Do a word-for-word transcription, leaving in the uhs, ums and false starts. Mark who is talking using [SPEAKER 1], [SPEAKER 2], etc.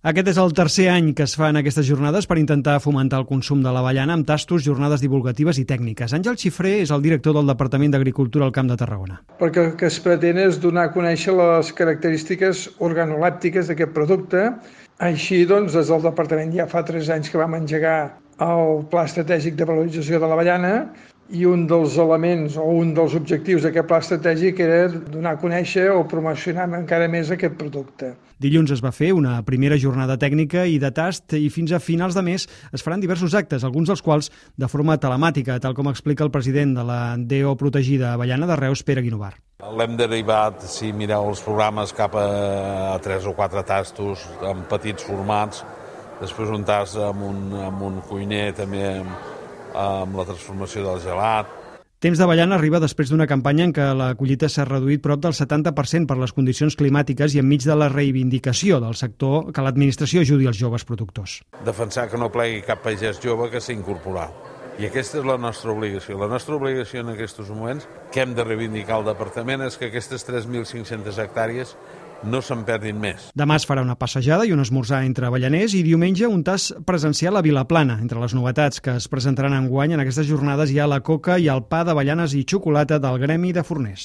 [SPEAKER 1] Aquest és el tercer any que es fan aquestes jornades per intentar fomentar el consum de l'avellana amb tastos, jornades divulgatives i tècniques. Àngel Xifré és el director del Departament d'Agricultura al Camp de Tarragona.
[SPEAKER 2] Perquè el que es pretén és donar a conèixer les característiques organolèptiques d'aquest producte. Així, doncs, des del Departament ja fa tres anys que vam engegar el Pla Estratègic de Valorització de l'Avellana i un dels elements o un dels objectius d'aquest pla estratègic era donar a conèixer o promocionar encara més aquest producte.
[SPEAKER 1] Dilluns es va fer una primera jornada tècnica i de tast i fins a finals de mes es faran diversos actes, alguns dels quals de forma telemàtica, tal com explica el president de la D O protegida Avellana de Reus, Pere Guinovar.
[SPEAKER 3] L'hem derivat, si mireu els programes, cap a tres o quatre tastos en petits formats, després un tast amb un, amb un cuiner també amb, amb la transformació del gelat.
[SPEAKER 1] Temps d'avellana arriba després d'una campanya en què la collita s'ha reduït prop del setanta per cent per les condicions climàtiques i enmig de la reivindicació del sector que l'administració ajudi els joves productors.
[SPEAKER 3] Defensar que no plegui cap pagès jove que s'ha incorporat. I aquesta és la nostra obligació. La nostra obligació en aquests moments, que hem de reivindicar al departament, és que aquestes tres mil cinc-centes hectàrees no se'n perdin més.
[SPEAKER 1] Demà es farà una passejada i un esmorzar entre avellaners i diumenge un tast presencial a Vilaplana. Entre les novetats que es presentaran enguany en aquestes jornades hi ha la coca i el pa d'avellanes i xocolata del Gremi de Forners.